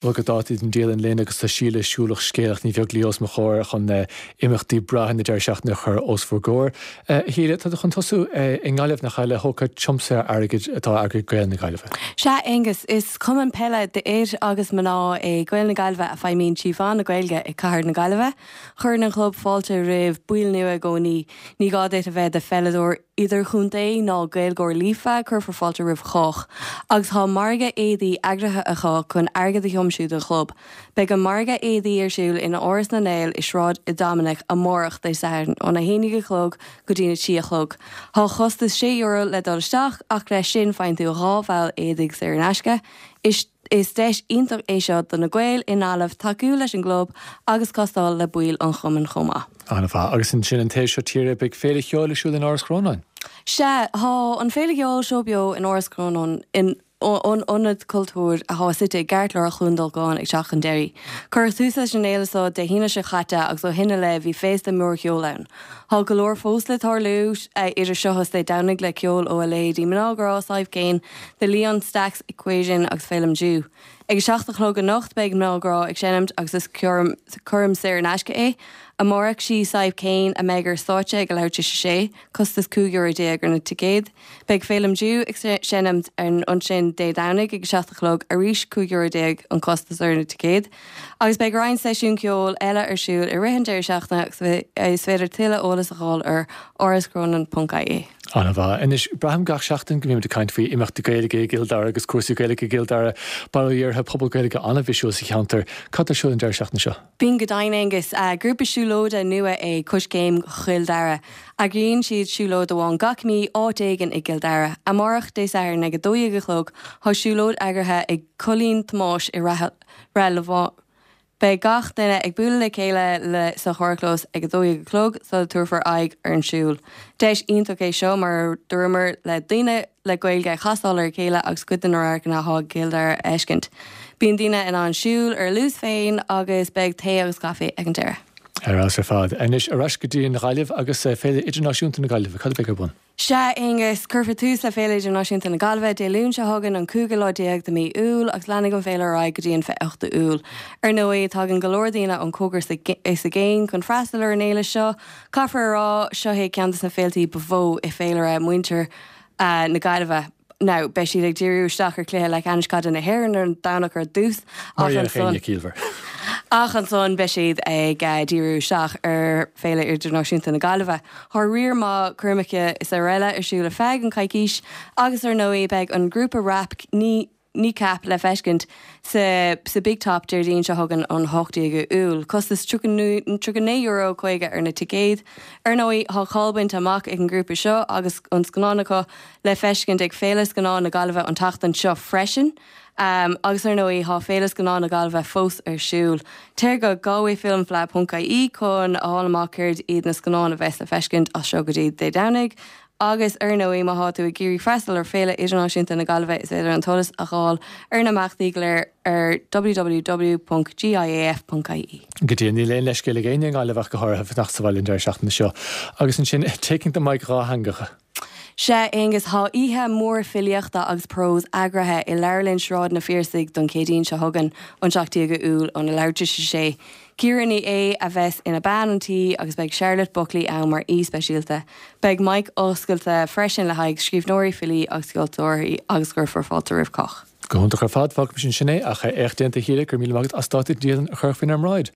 Bhuel go dáta den dialann linn agus tá Síle siúlach scéalach Ní Bheaglaoí os mo chomhair chun imeachtaí breátha na deireadh seachtaine a chur os bhur gcomhair. A Shíle, tá tú chun tosú i nGaillimh nach ea le hócáid tiomsaithe airgid atá eagraithe ag Gaeil na Gaillimhe. Sea, Aengus, is cumann peile d'fhir agus mná é Gaeil na Gaillimhe a feidhmíonn trí mheán na Gaeilge i cathair na Gaillimhe. Cuireann an club fáilte roimh baill nua i gcónaí. Ní gá duit a bheith i do pheileadóir idirchontae ná Gaeilgeoir líofa, cuirfear fáilte roimh chách. Agus tá margadh éadaí eagraithe acu chun airgead a thiomsú don chlub. Beidh an margadh éadaí ar siúl in Áras na nGael i Sráid Doiminic amárach, Dé Sathairn, óna 11 a chlog go dtína 3 a chlog. Tá costas €6 le dul isteach ach leis sin faigheann tú 2 bhall éadaigh saor in aisce. Is. Is deis iontach é seo do na Gaeil i nGaillimh tacú leis an gclub agus castáil le baill an chumainn chomh maith. An-mhaith. Agus ansin an taobh seo tíre, beidh féile cheoil ar siúl in Áras Chrónáin. Sea, tá an féile cheoil Seó Beo in Áras Chrónáin, in an ionad cultúir atá suite i gceartlár Chluain Dolcáin ag teacht chun deiridh. Cuireadh tús leis an fhéile seo Dé hAoine seo chaite agus ó shin i leith bhí féasta mór cheoil ann. Tá go leor fós le tarlú idir seo is Dé Domhnaigh le ceol ó a leithéidí Mná Grá, Sadhbh Kane, The Leon Stax Equation agus Féilim Dew. Ag a 7 a chlog anocht beidh Mná Grá ag seinmt agus is coirm saor in aisce é. Amárach sí Sadhbh Kane a mbeidh ar stáitse ag a leathuair tar éis a sé, costas €15 ar na ticéid. Beidh Féilim Dew ag seinmt ansin Dé Domhnaigh ag a 7 a chlog, arís €15 an costas ar na ticéid. Agus beidh roinnt seisiún ceoil eile ar siúl i rith an deireadh seachtaine agus is féidir tuilleadh eolas a fháil ar árascronan.ie. An-mhaith. Anois, braithim gach seachtain go mbímid ag caint faoi imeachtaí Gaeilge i gCill Dara agus cúrsaí Gaeilge i gCill Dara, bail ó Dhia orthu, pobal Gaeilge an-bhisiúil sa cheantar. Cad tá ar siúl an deireadh seachtaine seo? Bíonn go deimhin, Aengus. Grúpa siúlóide nua é Coiscéim Chill Dara. Eagraíonn siad siúlóid amháin gach mí, áit éigin i gCill Dara. Amárach, Dé Sathairn, ag 12 a chlog, tá siúlóid eagraithe ag Coilín Thomáis i Rath Lámháin. Beidh gach duine ag bualadh le chéile le sa charrchlós ag 12 a chlog sula dtabharfar aghaidh ar an siúl. Deis iontach é seo, mar a dúramar, le daoine le Gaeilge a chastáil ar a chéile agus cuid de na radharcanna atá i gCill Dara a fheiscint. Bíonn daoine in ann siúl ar a luas féin agus beidh tae agus caife ag an deireadh. Ar fheabhas ar fad. Anois, ar ais go dtí an Ghaillimh agus Féile Idirnáisiúnta na Gaillimhe. Cad a bheidh ar bun? Sea, Aonghus, cuirfear tús le Féile Idirnáisiúnta na Gaillimhe Dé Luain seo chugainn, an cúigiú lá déag de mhí Iúil, agus leanfaidh an féile ar aghaidh go dtí an 28ú Iúil. Ar ndóigh, tagann go leor daoine ón cóngar is i gcéin chun freastal ar an fhéile seo. Caithfear a rá, seo é ceann de na féiltí ba mhó i féilire muintir na Gaillimhe. Now, beidh siad ag díriú isteach ar chluiche leathcheannais caide na hÉireann ar an Domhnach ar dtús, ach ansan, ach ansan beidh siad ag díriú isteach ar Féile Idirnáisiúnta na Gaillimhe. Tá riar maith coirmeacha is araile ar siúl ar feadh an coicís agus ar ndóigh beidh an grúpa rap Kneecap le feiscint sa sa Big Top Déardaoin seo chugainn an 18ú Iúil. Costas €39.50 ar na ticéid. Ar ndóigh tá cáil bainte amach ag an ngrúpa seo agus an scannán acu le feiscint ag Féile Scannán na Gaillimhe an tseachtain seo freisin. Agus ar ndóigh tá Féile Scannán na Gaillimhe fós ar siúl. Téir go galwayfilmfleadh.ie chun a fháil amach céard iad na scannáin a bheas le feiscint as seo go dtí Dé Domhnaigh. Agus, ar ndóigh, má thá tú ag iarraidh freastal ar Féile Idirnáisiúnta na Gaillimhe is féidir an t-eolas a dh'fháil ar na himeachtaí go léir ar www.giaf.ie. Go deimhin, níl aon leithscéal ag éinne i nGaillimh ach go háirithe fanacht sa bhaile an deireadh seachtaine seo. Agus ansin, Taking the Mic dhátheangach. Sea, Aonghus, thá oíche mhór filíochta agus próis eagraithe i Leabharlann Sráid na Phiarsaigh don Chéadaoin seo chugainn, an 17ú Iúil, óna leathuair tar éis a sé. Ciara Ní É a bheas ina bean an tí agus beidh Charlotte Buckley ann mar aoi speisialta. Beidh mic oscailte freisin le haghaidh scríbhneoirí, filí agus ceoltóirí agus cuirfear fáilte roimh chách. Go hiontach ar fad, fágfaimis ansin é, ach éacht déanta a Shíle, go raibh míle maith agat as dáta dialann a chur faoinár mbráid.